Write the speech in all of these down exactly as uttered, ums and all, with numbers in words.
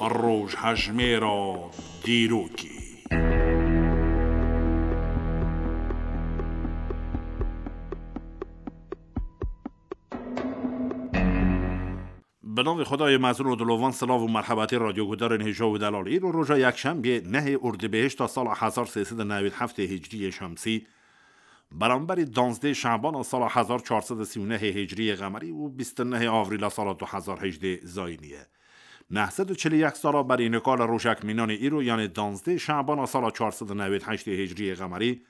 Rojhejmêra dîrokê. Bi navê Xwedayê mezin û dilovan, silav û merhebatê radyoguhdarên hêja û delal. Îro roja yekşembiyê nehê Ordibêhişta sala hezar sê sed û newî heftê Hicriyê Şemsî, beramberî danzdê Şebana sala hezar çar sed û sî û nehê Hicriyê Qemerî û bîst û nehê Avrîla sala du hezar hejdê Zayînî ye. Neh sed û çil û yek sala berî nika li rojek mînanê îro, yanê danzdê Şebana sala çar sed û newî heştê Hicriyê Qemerî,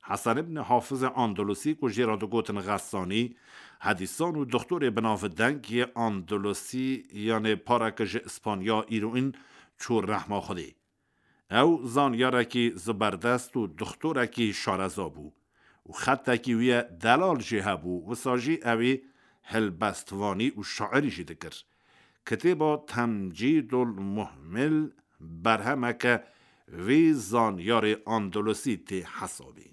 Hesen ibn Hafizê Andalusî, ku jê re digotin Xesanî, hedîsan û doxtorê binavdeng yê Andalusî, yanê pareke ji Îspanya, îroîn çû rehma Xwedê. Ew zanyarekî ziberdest û doxtorekî şareza bû û xetekî wî ye delal jî hebû, wisa jî ewî helbestvanî û şairî jî dikir. Kitêba Temcîdul Muhmil berhemeke vî zanyarê Andalusî tê hesabî.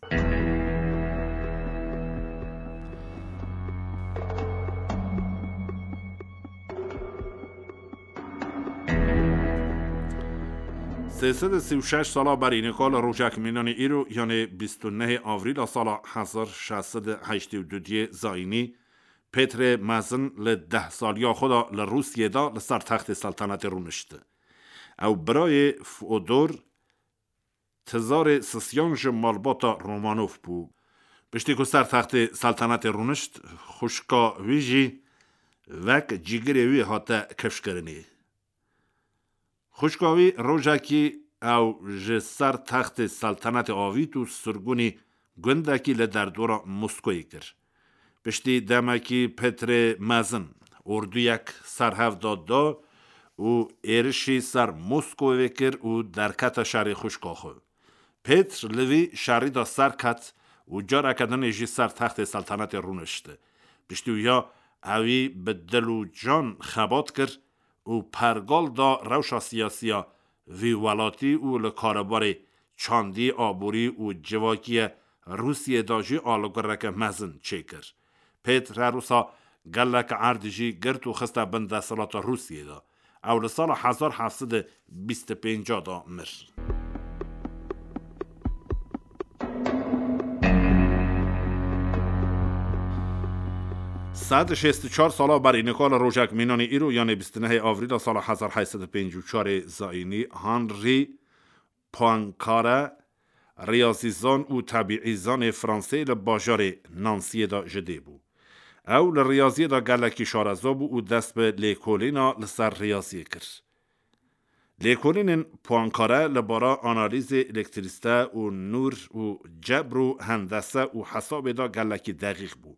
Sê sed û sî û şeş sala berî nika li rojek mînanê îro, yanê bîst û nehê Avrîla sala hezar şeş sed û heştê û du diyê Zayînî, Pêtrê Mezin li deh saliya xwe de li Rûsiyê de li ser textê seltenetê rûnişt. Ew birayê Fodor, tizarê sisiyan ji malbata Romanov bû. Piştî ku ser textê seltenetê rûnişt, xwişka wî jî wek cîgirê wî hate kifşkirinê. Xwişka wî rojekî ew ji ser textê seltenetê avît û sirgûnî gundekî li derdora Moskoyê kir. Piştî demekî Petrê Mezin orduyek ser hev da da û êrişî ser Moskowê kir û derkete şerê xwişka xwe. Pêtr li vî şerî de serket û careke dinê jî ser textê seltenetê rûnişt. Piştî wiya ewî bi dil û can xebat kir û pergal da rewşa siyasiya vî welatî û li karûbarê çandî, aborî û civakiye Rûsiyê de jî alagoreke mezin çêkir. Pêtr her wisa gelek erd jî girt û xiste bin desthilata Rûsiyê de. Ew li sala hezar heft sed û bîst û pênc de mir. Sed û şêst û çar sala berî nika li rojek mînanê îro, yanê bîst û nehê Avrîla sala hezar heyt sed û pêncî û çarê Zayînî, Henri Poincaré, riyazîzan û tebîîzanê Fransê, li bajarê Nansiyê de ji dê bû. Ew li riyaziyê de gelekî şareza bû û dest bi lêkolîna li ser riyaziyê kir. Lêkolînên Poincaré li bara analîzê elektrîsite û nûr û cebr û hendese û hesabê de gelekî deqîq bû.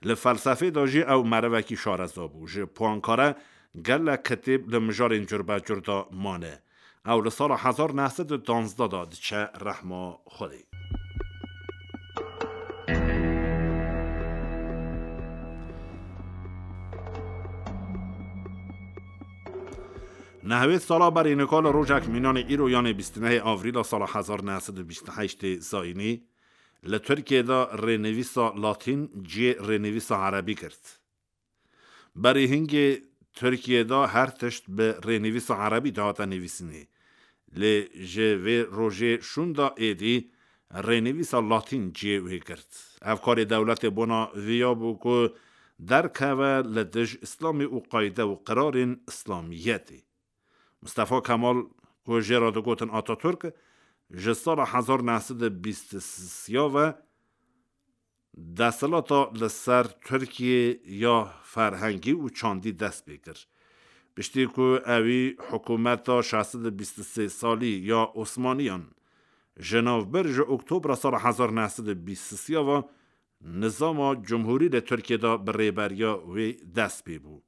Li felsefê de jî ew merivekî şareza bû. Ji Poincaré gelek kitêb li mijarên curbecur de mane. Ew li sala hezar neh sed û duwazdeh de diçe rehma Xwedê. Nehwêd sala berî nika li rojek mînanê îro, yanê bîst û nehê Avrîla sala hezar neh sed û bîst û heştê Zayînî, li Tirkiyê de rênivîsa Latîn cihê rênivîsa Erebî girt. Berî hingê Tirkiyê de her tişt bi rênivîsa Erebî dihate nivîsînê. Lê ji vê rojê şûnda êdî rênivîsa Latîn cihê wê girt. Ev karê dewletê bona viya bû ku derkeve li dij Îslamê û qayde û qirarên Îslamiyetê. Mustafa Kemal, ku jê re digotin Ataturk, ji sala hezar neh sed û bîst û sê ve desthilata li ser Tirkiyê ya ferhengî û çandî dest pê kir. Piştî ku ewî hikûmeta şeş sed û bîst û sê salî ya Osmaniyan ji nav bir, ji Oktobra sala hezar neh sed û bîst û sê ve nizama cumhurî li Tirkiyê de bi rêberiya wê dest pê bû.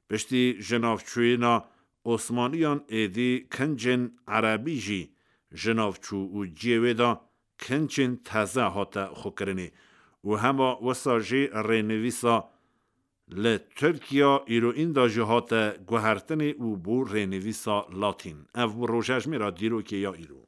Piştî jinavçûyîna Osmaniyan êdî kincên Erebî jî ji nav çû û cihê wê de kincên teze hate xwekirinê û hema wisa jî rênivîsa li Tirkiya îroîn de jî hate guhertinê û bû rênivîsa Latîn. Ev bû rojejmêra dîrokê ya îro.